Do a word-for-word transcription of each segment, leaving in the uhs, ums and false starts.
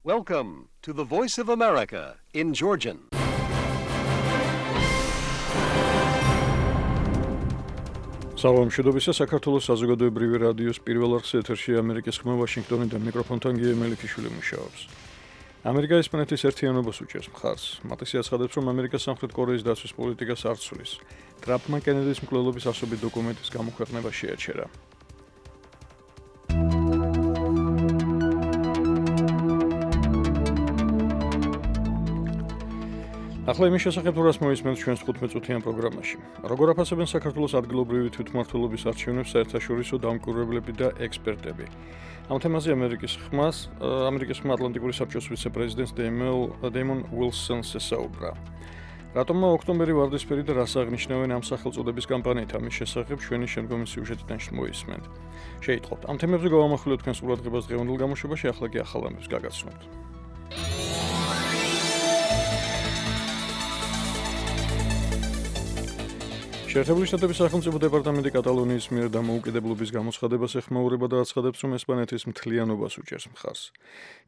Welcome to the Voice of America in Georgian. Salam, შედობისა საქართველოს საზოგადოებრივი რადიოს პირველ არხზე ეთერში ამერიკის ხმა ვაშინგტონიდან მიკროფონთან გიე მელიქიშვილი მუშაობს. ამერიკა ესპანეთის ერთიანობას უჭერს მხარს. მათისი აცხადებს, რომ ამერიკა სამხრეთ კორეის დაცვის პოლიტიკას არ ცვლის. ტრამპმა კენედის მკვლელობის ასობით დოკუმენტის გამოქვეყნება შეაჩერა. ახლა იმის შესახებ თუ რას მოისმენთ ჩვენს თხუთმეტ წუთიან პროგრამაში. როგორ აფასებენ საქართველოს ადგილობრივი თვითმმართველობის არჩევნებს საერთაშორისო დამკვირვებლები და ექსპერტები. ამ თემაზე ამერიკის ხმას, ამერიკის ხმა ატლანტიკური საბჭოს ვიცე-პრეზიდენტს დეიმონ უილსონს ესაუბრა. რატომმა ოქტომბერი ვარდისფერი და რას აღნიშნავენ ამ სახელწოდების კამპანიით, ამის შესახებ ჩვენი შემდგომი სიუჟეტიდან მოისმენთ. შეიტყობთ. ამ თემებზე გავამახვილოთ თქვენს ყურადღებას დღევანდელ გამოშვებაში, ახლა კი ახალ ამბებს გაგაცნობთ. შეერთებული შტატების სახელმწიფო დეპარტამენტი კატალონიის მიერ დამოუკიდებლობის გამოცხადებას ეხმაურება და აცხადებს, რომ ესპანეთის მთლიანობას უჭერს მხარს.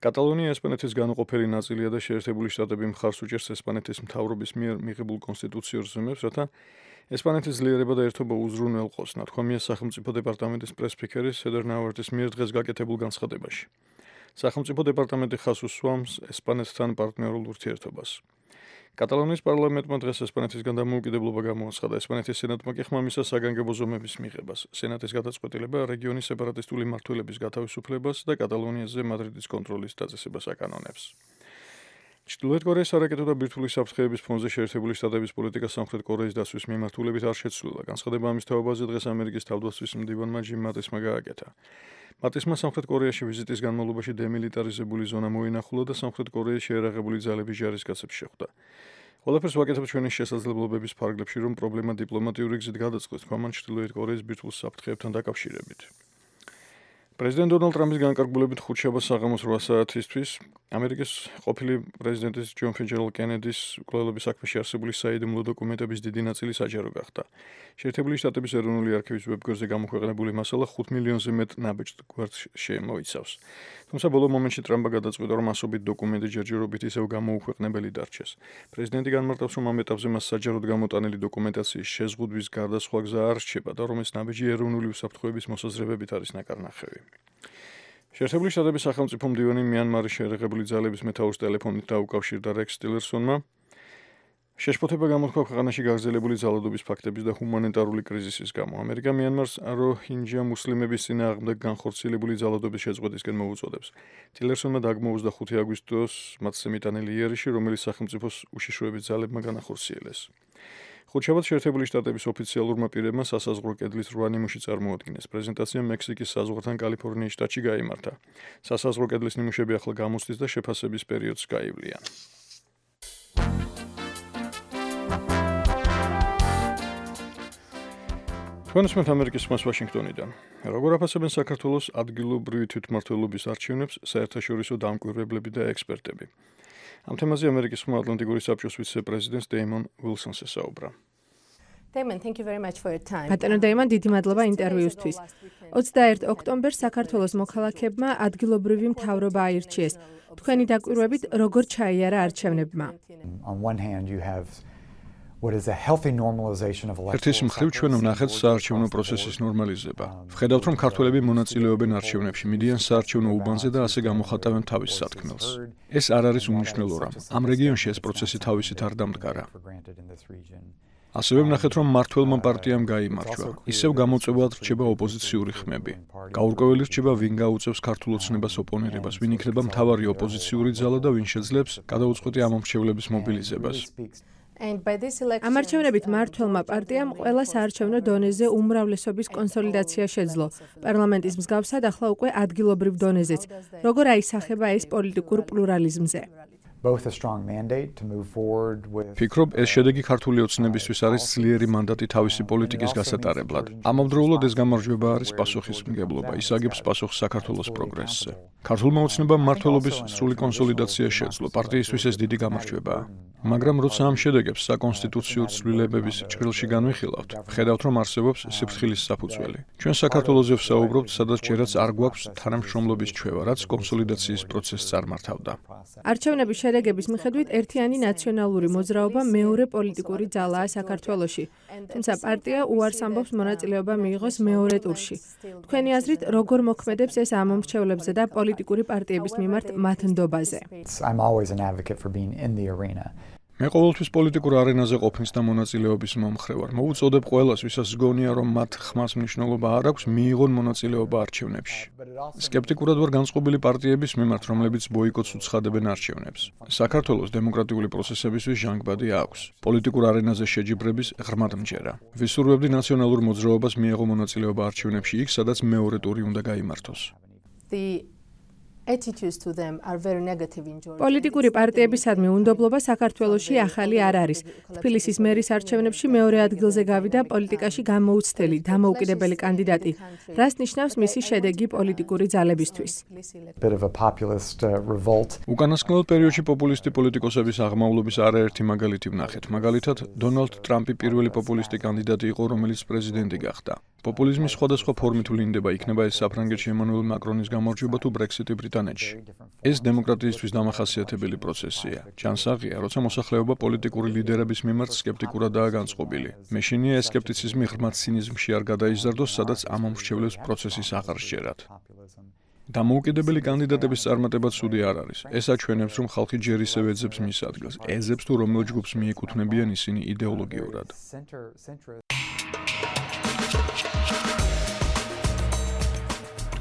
კატალონია ესპანეთის განუყოფელი ნაწილია და შეერთებული შტატები მხარს უჭერს ესპანეთის მთავრობის მიერ მიღებულ კონსტიტუციურ ზომებს, რათა ესპანეთის ძლიერება და ერთობა უზრუნველყოს, ნათქვამია სახელმწიფო დეპარტამენტის პრესფიქერის სედარ ნავარტის მიერ დღეს გაკეთებულ განცხადებაში. სახელმწიფო დეპარტამენტი ხაზს უსვამს ესპანეთთან პარტნიორულ ურთიერთობას. კატალონიის პარლამენტმა დღეს ესპანეთისგან დამოუკიდებლობა გამოაცხადა. ესპანეთის სენატმა კი ხმამისას საგანგებო ზომების მიღებას. სენატის გადაწყვეტილება რეგიონის სეპარატისტული მმართველების გათავისუფლებას და კატალონიაზე მადრიდის კონტროლის დაწესებას აკანონებს. ჩრდილოეთ კორეის არაკეტო და ბირთვული საფრთხეების ფონზე შეერთებული შტატების პოლიტიკა სამხრეთ კორეის დაცვის მიმართულებით არ შეცვლილა. განცხადება ამის თაობაზე დღეს ამერიკის თავდაცვის მდივანმა ჯიმ მატისმა გააკეთა. მატისმა სამხრეთ კორეაში ვიზიტის განმავლობაში დემილიტარიზებული ზონა მოინახულა და სამხრეთ კორეის შეერაღებული ძალების ჯარისკაცებს შეხვდა. ყველაფერს ვაკეთებ ჩვენი შესაძლებლობების ფარგლებში, რომ პრობლემა დიპლომატიური გზით გადაწყვეტს, ქვამან ჩრდილოეთ კორეის ბირთვულ საფრთხეებთან დაკავშირებით. პრეზიდენტ დონალდ ტრამპის განკარგულებით ხუთშაბათს საღამოს რვა საათისთვის ამერიკის ყოფილი პრეზიდენტის ჯონ ფიჯერალდ კენედის მკვლელობის საქმეში არსებული საიდუმლო დოკუმენტების დიდი ნაწილი საჯარო გახდა. შეერთებული შტატების ეროვნული არქივის ვებგვერდზე გამოქვეყნებული მასალა ხუთ მილიონზე მეტ ნაბეჭდ გვერდს შემოიცავს. თუმცა ბოლო მომენტში ტრამპმა გადაწყვიტა, რომ ასობით დოკუმენტი ჯერჯერობით ისევ გამოუქვეყნებელი დარჩეს. პრეზიდენტი განმარტავს, რომ ამ ეტაპზე მას საჯაროდ გამოტანილი დოკუმენტაციის შეზღუდვის გარდა სხვა გზა არ რჩება და რომ ეს ნაბიჯი ეროვნული უსაფრთხოების მოსაზრებებით არის ნაკარნახევი. შეერთებული შტატების სახელმწიფო მდივანი მიანმარის შეერაღებული ძალების მეთაურს ტელეფონით დაუკავშირდა რექს ტილერსონმა. შეშფოთება გამოთქვა ქვეყანაში გაგრძელებული ძალადობის ფაქტების და ჰუმანიტარული კრიზისის გამო. ამერიკა მიანმარს როჰინჯა მუსლიმების წინააღმდეგ განხორციელებული ძალადობის შეწყვეტისკენ მოუწოდებს. ტილერსონმა დაგმო ოცდახუთი აგვისტოს მათზე მიტანილი იერიში, რომელიც სახელმწიფოს უშიშროების ძალებმა განახორციელეს. ხუთშაბათს შეერთებული შტატების ოფიციალურმა პირებმა სასაზღვრო კედლის რვა ნიმუში წარმოადგინეს. პრეზენტაცია მექსიკის საზღვართან კალიფორნიის შტატში გაიმართა. სასაზღვრო კედლის ნიმუშები ახლა გამოსდის და შეფასების პერიოდს გაივლიან. თქვენსმენთ ამერიკის ხმას ვაშინგტონიდან. როგორ აფასებენ საქართველოს ადგილობრივი თვითმმართველობის არჩევნებს საერთაშორისო დამკვირვებლები და ექსპერტები. ამ თემაზე ამერიკის ხმა ატლანტიკური საბჭოს ვიცე-პრეზიდენტს დეიმონ უილსონს ესაუბრა. ბატონო დეიმონ, დიდი მადლობა ინტერვიუსთვის. ოცდაერთი ოქტომბერს საქართველოს მოქალაქეებმა ადგილობრივი მთავრობა აირჩიეს. თქვენი დაკვირვებით როგორ ჩაიარა არჩევნებმა? ერთის მხრივ ჩვენ ვნახეთ საარჩევნო პროცესის ნორმალიზება. ვხედავთ, რომ ქართველები მონაწილეობენ არჩევნებში, მიდიან საარჩევნო უბანზე და ასე გამოხატავენ თავის სათქმელს. ეს არ არის უმნიშვნელო რამ. ამ რეგიონში ეს პროცესი თავისით არ დამდგარა. ასევე ვნახეთ, რომ მმართველმა პარტიამ გაიმარჯვა. ისევ გამოწვევად რჩება ოპოზიციური ხმები. გაურკვეველი რჩება, ვინ გაუწევს ქართულ ოცნებას ოპონირებას, ვინ იქნება მთავარი ოპოზიციური ძალა და ვინ შეძლებს გადაუწყვეტი ამომრჩევლების მობილიზებას. ამ არჩევნებით მმართველმა პარტიამ ყველა საარჩევნო დონეზე უმრავლესობის კონსოლიდაცია შეძლო. პარლამენტის მსგავსად ახლა უკვე ადგილობრივ დონეზეც. როგორ აისახება ეს პოლიტიკურ პლურალიზმზე? ფიქრობ, ეს შედეგი ქართული ოცნებისთვის არის ძლიერი მანდატი თავისი პოლიტიკის გასატარებლად. ამავდროულად ეს გამარჯვება არის პასუხისმგებლობა, ის აგებს პასუხს საქართველოს პროგრესზე. ქართულმა ოცნებამ მმართველობის სრული კონსოლიდაცია შეძლო. პარტიისთვის ეს დიდი გამარჯვებაა. მაგრამ როცა ამ შედეგებს საკონსტიტუციო ცვლილებების ჭრილში განვიხილავთ, ხედავთ, რომ არსებობს სიფრთხილის საფუძველი. ჩვენ საქართველოზე ვსაუბრობთ, სადაც ჯერაც არ გვაქვს თანამშრომლობის ჩვევა, რაც კონსოლიდაციის პროცესს წარმართავდა. არჩევნების შედეგების მიხედვით ერთიანი ნაციონალური მოძრაობა მეორე პოლიტიკური ძალაა საქართველოში. თუმცა პარტია უარს ამბობს მონაწილეობა მიიღოს მეორე ტურში. თქვენი აზრით, როგორ მოქმედებს ეს ამომრჩევლებზე და პოლიტიკური პარტიების მიმართ მათ ნდობაზე? I'm always an advocate for being in the arena. მე ყოველთვის პოლიტიკურ არენაზე ყოფნის და მონაწილეობის მომხრე ვარ. მოვუწოდებ ყველას, ვისაც გონია, რომ მათ ხმას მნიშვნელობა არ აქვს, მიიღონ მონაწილეობა არჩევნებში. სკეპტიკურად ვარ განწყობილი პარტიების მიმართ, რომლებიც ბოიკოტს უცხადებენ არჩევნებს. საქართველოს დემოკრატიული პროცესებისთვის ჟანგბადი აქვს. პოლიტიკურ არენაზე შეჯიბრების ღრმად მჯერა. ვისურვებდი ნაციონალურ მოძრაობას მიეღო მონაწილეობა არჩევნებში იქ, სადაც მეორე ტური უნდა გაიმართოს. პოლიტიკური პარტიებისადმი უნდობლობა საქართველოში ახალი არ არის. თბილისის მერის არჩევნებში მეორე ადგილზე გავიდა პოლიტიკაში გამოუცდელი, დამოუკიდებელი კანდიდატი. რას ნიშნავს მისი შედეგი პოლიტიკური ძალებისთვის? უკანასკნელ პერიოდში პოპულისტი პოლიტიკოსების აღმავლობის არაერთი მაგალითი ვნახეთ. მაგალითად, დონალდ ტრამპი პირველი პოპულისტი კანდიდატი იყო, რომელიც პრეზიდენტი გახდა. პოპულიზმის სხვადასხვა ფორმით ვლინდება, იქნება ეს საფრანგეთში ემანუელ მაკრონის გამარჯვება თუ ბრექსიტი ბრიტანეთში. ეს დემოკრატიისთვის დამახასიათებელი პროცესია. ჯანსაღია, როცა მოსახლეობა პოლიტიკური ლიდერების მიმართ სკეპტიკურადაა განწყობილი. მეშინია ეს სკეპტიციზმი ღრმად ცინიზმში არ გადაიზარდოს, სადაც ამომრჩევლებს პროცესის აღარ სჯერათ. დამოუკიდებელი კანდიდატების წარმატება ცუდი არ არის. ეს აჩვენებს, რომ ხალხი ჯერ ისევ ეძებს მის ადგილს, ეძებს თუ რომელ ჯგუფს მიეკუთვნებიან ისინი იდეოლოგიურად.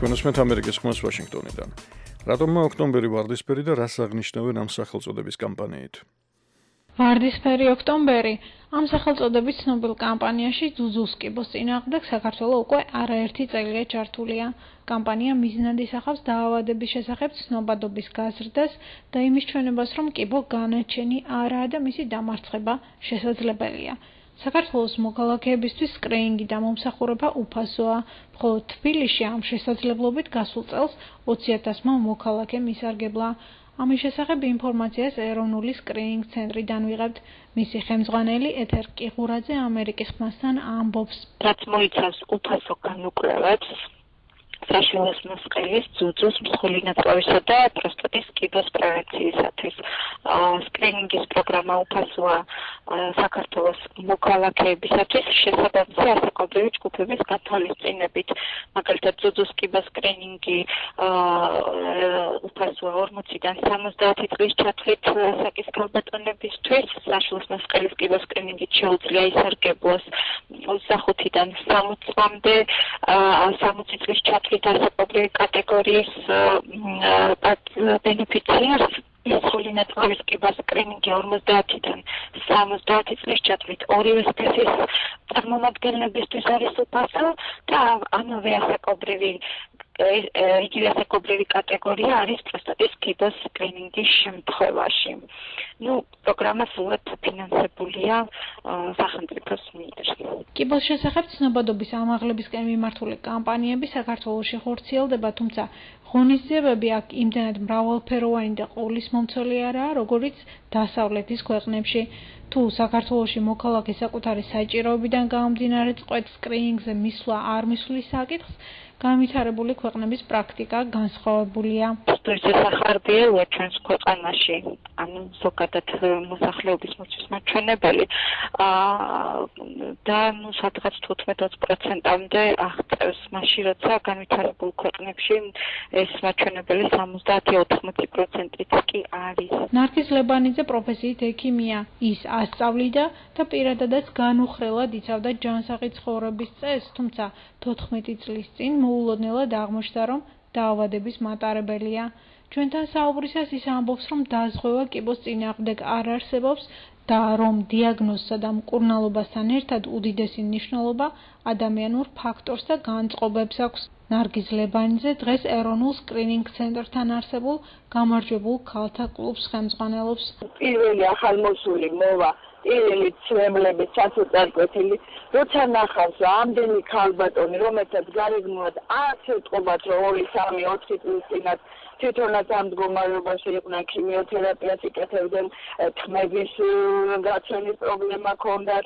თქვენსმეთ ამერიკის ხმას ვაშინგტონიდან. რატომმა ოქტომბერი ვარდისფერი და რას აღნიშნავენ ამ სახელწოდების კამპანიით? ვარდისფერი ოქტომბერი ამ სახელწოდების ცნობილ კამპანიაში ძუძუს კიბოს წინააღმდეგ საქართველო უკვე არაერთი წელია ჩართულია. კამპანია მიზნად ისახავს დაავადების შესახებ ცნობადობის გაზრდას და იმის ჩვენებას, რომ კიბო განაჩენი არაა და მისი დამარცხება შესაძლებელია. საქართველოს მოქალაქეებისთვის სკრინინგი და მომსახურება უფასოა, მხოლოდ თბილისში ამ შესაძლებლობით გასულ წელს ოცი ათასმა მოქალაქემ ისარგებლა. ამის შესახებ ინფორმაციას ეროვნული სკრინინგ ცენტრიდან ვიღებთ. მისი ხელმძღვანელი ეთერ კიღურაძე ამერიკის ხმასთან ამბობს. რაც მოიცავს უფასო განუკრევებს, საშუალო მოსყელის, ძუძუს, მსხვილი ნაწლავისა და პროსტატის კიბოს პრევენციისათვის. სკრინინგის პროგრამა უფასოა საქართველოს მოქალაქეებისათვის შესაბამისი ასაკობრივი ჯგუფების გათვალისწინებით. მაგალითად, ძუძუს კიბოს სკრინინგი უფასოა ორმოციდან სამოცდაათი წლის ჩათვლით ასაკის ქალბატონებისთვის, საშუალო მოსყელის კიბოს სკრინინგით შეუძლია ისარგებლოს ოცდახუთიდან სამოცი წლამდე სამოცი წლის ჩათვლით ასაკობრივი კატეგორიის ბენეფიციარს. მსხვილი ნაწლავის კიბოს სკრინინგი ორმოცდაათიდან სამოცდაათი წლის ჩათვლით ორივე სქესის წარმომადგენლებისთვის არის უფასო და ამავე ასაკობრივი იგივე ასაკობრივი კატეგორია არის პროსტატის კიბოს სკრინინგის შემთხვევაში. ნუ პროგრამა სულად ფინანსებულია სახელმწიფოს მიერ. კიბოს შესახებ ცნობადობის ამაღლებისკენ მიმართული კამპანიები საქართველოში ხორციელდება, თუმცა ღონისძიებები აქ იმდენად მრავალფეროვანი და ყოვლისმომცველი არაა, როგორიც დასავლეთის ქვეყნებში. თუ საქართველოში მოქალაქე საკუთარი საჭიროებიდან გამომდინარე წყვეტ სკრინინგზე მისვლა არ მისვლის საკითხს, განვითარებული ქვეყნების პრაქტიკა განსხვავებულია. სტუდიის სახარბიელია ჩვენს ქვეყანაში, ანუ ზოგადად მოსახლეობის მოცვის მაჩვენებელი და ნუ სადღაც თუთხმეტ-ოცი პროცენტამდე აღწევს, მაშინ როცა განვითარებულ ქვეყნებში ეს მაჩვენებელი სამოცდაათი ოთხმოცი პროცენტიც კი არის. ნარგიზ ლებანიძე პროფესიით ექიმია. ის ასწავლიდა და პირადადაც განუხრელად იცავდა ჯანსაღი ცხოვრების წესს, თუმცა თოთხმეტი წლის წინ მოულოდნელად აღმოჩნდა, რომ დაავადების მატარებელია. ჩვენთან საუბრისას ის ამბობს, რომ დაზღვევა კიბოს წინააღმდეგ არ არსებობს და რომ დიაგნოზსა და მკურნალობასთან ერთად უდიდესი მნიშვნელობა ადამიანურ ფაქტორს და განწყობებს აქვს. ნარგიზ ლებანიძე დღეს ეროვნულ სკრინინგ ცენტრთან არსებულ გამარჯვებულ ქალთა კლუბს ხელმძღვანელობს. პირველი ახალმოსული მოვა პირველი ცვლილებების ჩასაწარკვეთილი, როცა ნახავს ამდენი ქალბატონი, რომელთაც გარეგნულად არც ეთყობათ, რომ ორი სამი ოთხი წლის წინათ თვითონაც ამ მდგომარეობაში იყვნენ, ქიმიოთერაპიას იკეთებდნენ, თმების გაცვენის პრობლემა ჰქონდათ,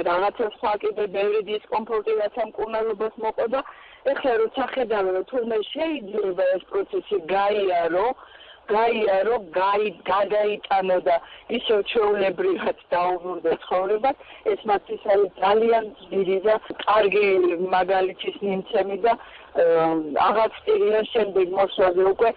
რაღაცა სხვა კიდე ბევრი დისკომფორტი რაც ამ მკურნალობას მოყოდა. ეხლა როცა ხედავ, რომ თურმე შეიძლება ეს პროცესი გაიარო, გაიარო, გადაიტანო და ისევ ჩვეულებრივად დაუბრუნდა ცხოვრებას, ეს მათთვის არის ძალიან ძლიერი და კარგი მაგალითის მიმცემი და აღარ ვწირია შემდეგ მოსვლაზე უკვე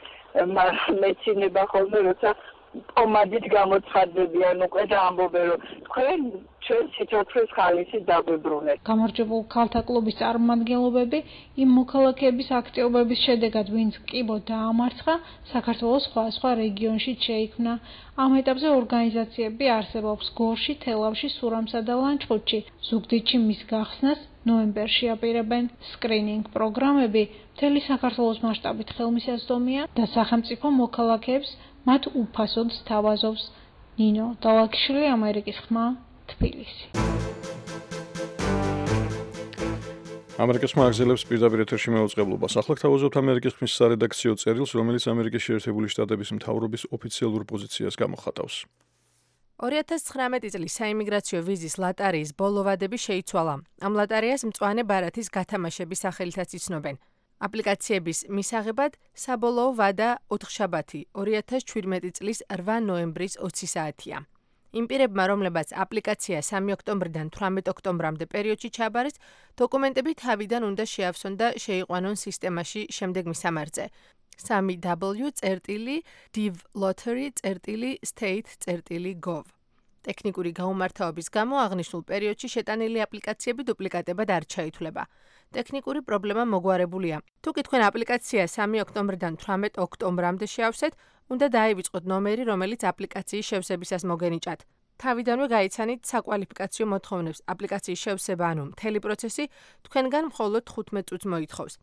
მეცინება ხოლმე, როცა პომადით გამოცხადდებიან უკვე და ამბობენ, რომ თქვენ ჩვენ სიცოცხლის ხალისით დაგვიბრუნეთ. გამარჯვებულ ქალთა კლუბის წარმომადგენლობები იმ მოქალაქეების აქტიობების შედეგად, ვინც კიბო დაამარცხა, საქართველოს სხვადასხვა რეგიონში შეიქმნა. ამ ეტაპზე ორგანიზაციები არსებობს გორში, თელავში, სურამსა და ლანჩხუთში. ზუგდიდში მის გახსნას ნოემბერში აპირებენ. სკრინინგ პროგრამები მთელი საქართველოს მასშტაბით ხელმისაწვდომია და სახელმწიფო მოქალაქეებს მათ უფასოდ სთავაზობს. ნინო დალაქიშვილი, ამერიკის ხმა, თბილისი. ამერიკის ხმა აგზელებს პირდაპირ ეთერში მეუწყებლობას. ახლა გთავაზობთ ამერიკის ხმის სარედაქციო წერილს, რომელიც ამერიკის შეერთებული შტატების მთავრობის ოფიციალურ პოზიციას გამოხატავს. ორი ათას ცხრამეტი წლის საიმიგრაციო ვიზის ლატარიის ბოლო ვადები შეიცვალა. ამ ლატარიას მწვანე ბარათის გათამაშების სახელითაც იცნობენ. აპლიკაციების მისაღებად საბოლოო ვადა ოთხშაბათი, ორი ათას ჩვიდმეტი წლის რვა ნოემბრის ოცი საათია. იმ პირებმა, რომლებაც აპლიკაცია სამი ოქტომბრიდან თვრამეტ ოქტომბრამდე პერიოდში ჩააბარეს, დოკუმენტები თავიდან უნდა შეავსონ და შეიყვანონ სისტემაში შემდეგ მისამართზე. სამი დაბლიუ წერტილი div lottery წერტილი state წერტილი gov. ტექნიკური გაუმართავობის გამო აღნიშნულ პერიოდში შეტანილი აპლიკაციები დუპლიკატებად არ ჩაითვლება. ტექნიკური პრობლემა მოგვარებულია. თუ კი თქვენ აპლიკაცია სამი ოქტომბრიდან თვრამეტ ოქტომბრამდე შეავსეთ, უნდა დაივიწყოთ ნომერი, რომელიც აპლიკაციის შევსებისას მოგენიჭათ. თავიდანვე გაიცანით საკვალიფიკაციო მოთხოვნებს. აპლიკაციის შევსება, ანუ მთელი პროცესი თქვენგან მხოლოდ თხუთმეტ წუთს მოითხოვს.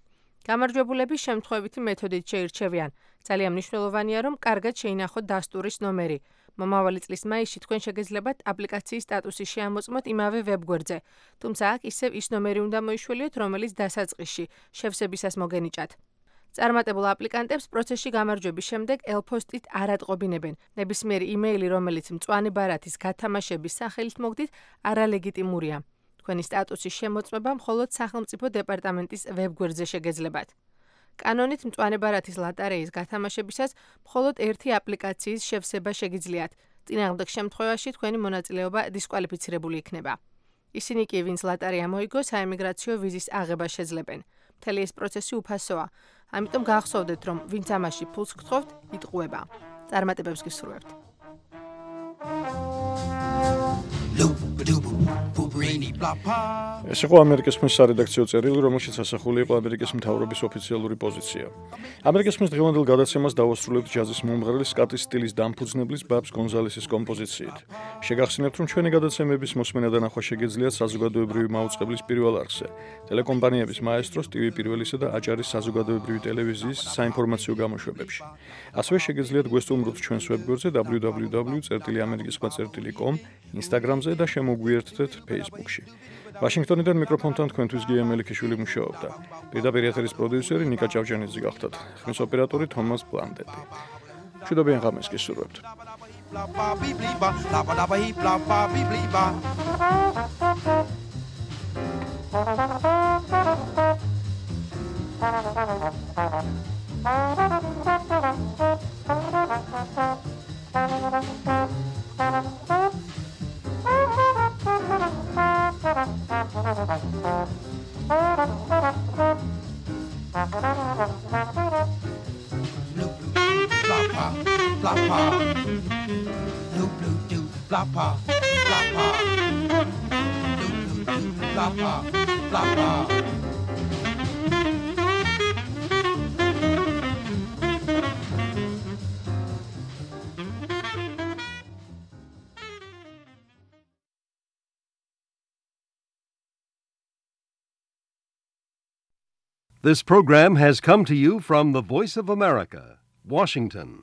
გამარჯვებულები შემთხვევითი მეთოდით შეირჩევიან. ძალიან მნიშვნელოვანია, რომ კარგად შეინახოთ დასტურის ნომერი. მომავალი წლის მაისში თქვენ შეგეძლებათ აპლიკაციის სტატუსი შეამოწმოთ იმავე ვებგვერდზე. თუმცა აქ ისევ ის ნომერი უნდა მოიშველიოთ, რომელიც დასაწყისში შევსებისას მოგენიჭათ. წარმატებულ აპლიკანტებს პროცესში გამარჯვების შემდეგ ელფოსტით არ ატყობინებენ. ნებისმიერი იმეილი, რომელიც მწვანე ბარათის გათამაშების სახელით მოგდით, არალეგიტიმურია. თქვენი სტატუსის შემოწმება მხოლოდ სახელმწიფო დეპარტამენტის ვებგვერდზე შეგეძლებათ. კანონით მწვანე ბარათის ლატარეის გათამაშებისას მხოლოდ ერთი აპლიკაციის შევსება შეგიძლიათ. წინააღმდეგ შემთხვევაში თქვენი მონაწილეობა დისკვალიფიცირებული იქნება. ისინი კი, ვინც ლატარია მოიგო, საიმიგრაციო ვიზის აღება შეძლებენ. მთელი ეს პროცესი უფასოა. ამიტომ გახსოვდეთ, რომ ვინც ამაში ფულს გთხოვთ, იტყუება. წარმატებებს გისურვებთ. ეს იყო ამერიკის ხმის სარედაქციო წერილი, რომელშიც ასახული იყო ამერიკის მთავრობის ოფიციალური პოზიცია. ამერიკის ხმის დღევანდელ გადაცემას დავასრულებთ ჯაზის მომღერალი სკატის სტილის დამფუძნებლის ბაბს გონზალესის კომპოზიციით. შეგახსენებთ, რომ ჩვენი გადაცემების მოსმენა და ნახვა შეგეძლიათ საზოგადოებრივი მაუწყებლის პირველ არხზე, ტელეკომპანიების მაესტროს, ტივი პირველისა და აჭარის საზოგადოებრივი ტელევიზიის საინფორმაციო გამოშვებებში. ასევე შეგეძლიათ გვესტუმროთ ჩვენს ვებგვერდზე დაბლიუ დაბლიუ დაბლიუ წერტილი ამერიკის ხმა წერტილი com, Instagram-ზე და შემოგვიერთდეთ Facebook-ში. ვაშინგტონიდან მიკროფონთან თქვენთვის გია მელიქიშვილი მუშაობდა. პირდაპირ ეთერის პროდიუსერი ნიკა ჭავჭანიძე გახდათ. ხმის ოპერატორი თომას ბლანდეტი. მშვიდობიან ღამეს გისურვებთ. This program has come to you from the Voice of America, Washington.